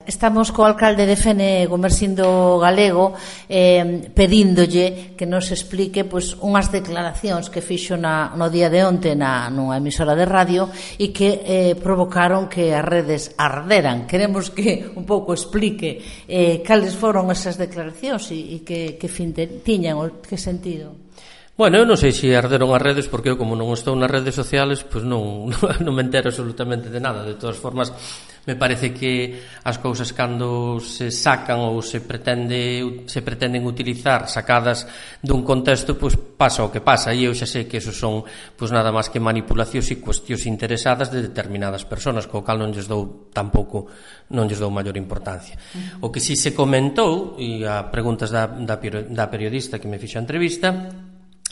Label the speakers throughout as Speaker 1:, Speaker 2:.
Speaker 1: Estamos co alcalde de Fene, Gumersindo Galego, pedíndolle que nos explique unhas declaracións que fixo no día de onte nunha emisora de radio e que provocaron que as redes arderan. Queremos que un pouco explique cales foron esas declaracións e que fin tiñan ou que sentido.
Speaker 2: Bueno, eu non sei se arderon as redes, porque eu como non estou nas redes sociales, pois non me entero absolutamente de nada. De todas formas, me parece que as cousas cando se sacan ou se pretenden utilizar sacadas dun contexto, pois pasa o que pasa, e eu xa sei que esos son pois nada máis que manipulacións e cuestións interesadas de determinadas persoas, co cal non lles dou maior importancia. O que si se comentou, e a preguntas da periodista que me fixo a entrevista,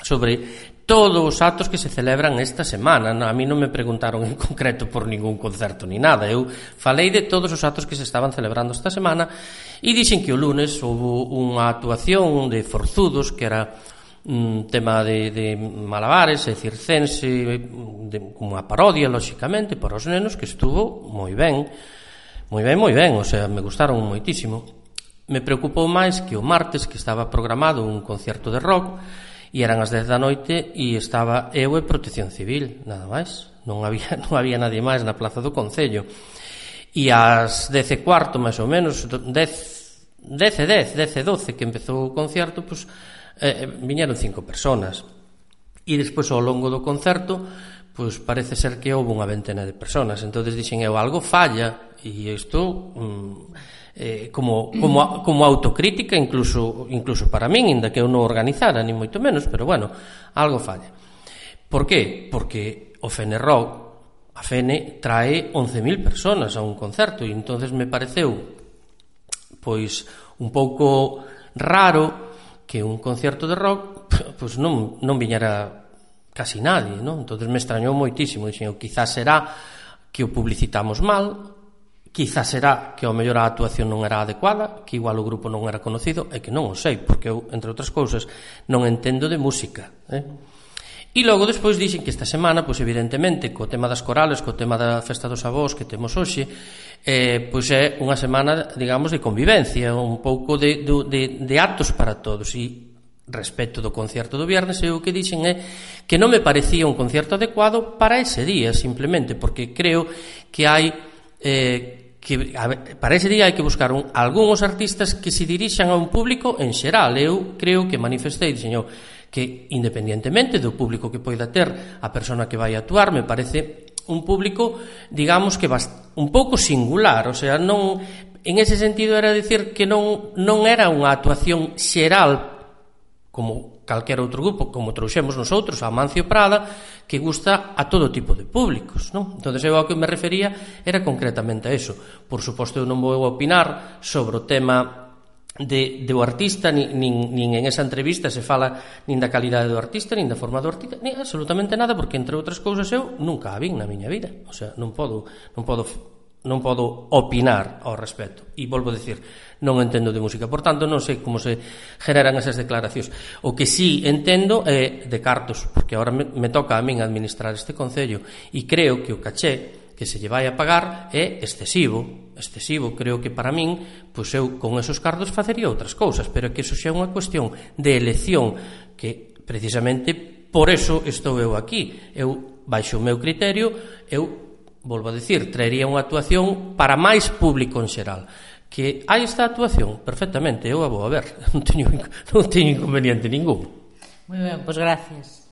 Speaker 2: sobre todos os actos que se celebran esta semana. A mí non me preguntaron en concreto por ningún concerto ni nada. Eu falei de todos os actos que se estaban celebrando esta semana e dixen que o lunes houve unha actuación de Forzudos, que era un tema de malabares e circense, como unha parodia, lóxicamente, para os nenos, que estuvo moi ben, o sea, me gustaron moitísimo. Me preocupou máis que o martes, que estaba programado un concerto de rock, e eran as 10 da noite e estaba eu e Protección Civil, nada máis, non había nadie máis na plaza do Concello, e ás 10:15 máis ou menos, 10:12 que empezou o concerto, pois viñeron 5 personas, e despois ao longo do concerto pois parece ser que houve unha ventena de personas. Entonces dixen eu, algo falla, e isto como autocrítica incluso para min, inda que eu non organizara ni moito menos, pero bueno, algo falla. Por qué? Porque o Fene Rock, a Fene trae 11.000 personas a un concerto, e entonces me pareceu pois un pouco raro que un concerto de rock pois non viñera casi nadie, non? Entonces me extrañou moitísimo. Dixen, quizás será que o publicitamos mal, quizás será que ao mellor a actuación non era adecuada, que igual o grupo non era conocido, e que non o sei, porque eu, entre outras cousas, non entendo de música, E logo despois dixen que esta semana, pois evidentemente, co tema das corales, co tema da festa dos avós que temos hoxe, pois é unha semana, digamos, de convivencia, un pouco de actos para todos. E respecto do concerto do viernes, eu o que dixen é que non me parecía un concerto adecuado para ese día, simplemente porque creo que hai para ese día hai que buscar algúns artistas que se dirixan a un público en xeral. Eu creo que manifestei, dixen que independientemente do público que poida ter a persona que vai actuar, me parece un público, digamos, que un pouco singular, o sea, non, en ese sentido era dicir que non era unha actuación xeral como calquera outro grupo, como trouxemos nosotros a Amancio Prada, que gusta a todo tipo de públicos, non? Entón, eu ao que me refería era concretamente a eso. Por suposto, eu non vou opinar sobre o tema do artista, nin en esa entrevista se fala nin da calidade do artista, nin da forma do artista, nin absolutamente nada, porque, entre outras cousas, eu nunca a vin na miña vida. O sea, non podo opinar ao respecto. E volvo a decir, non entendo de música, por tanto non sei como se generan esas declaracións. O que sí entendo é de cartos, porque agora me toca a min administrar este concello, e creo que o caché que se lle vai a pagar é excesivo. Creo que para min, pois eu con esos cartos facería outras cousas, pero que eso xa é unha cuestión de elección, que precisamente por eso estou eu aquí. Eu, baixo o meu criterio, volvo a decir, traería unha actuación para máis público en xeral. Que hai esta actuación, perfectamente, eu a vou a ver, non teño inconveniente ningún.
Speaker 1: Moi ben, pois gracias.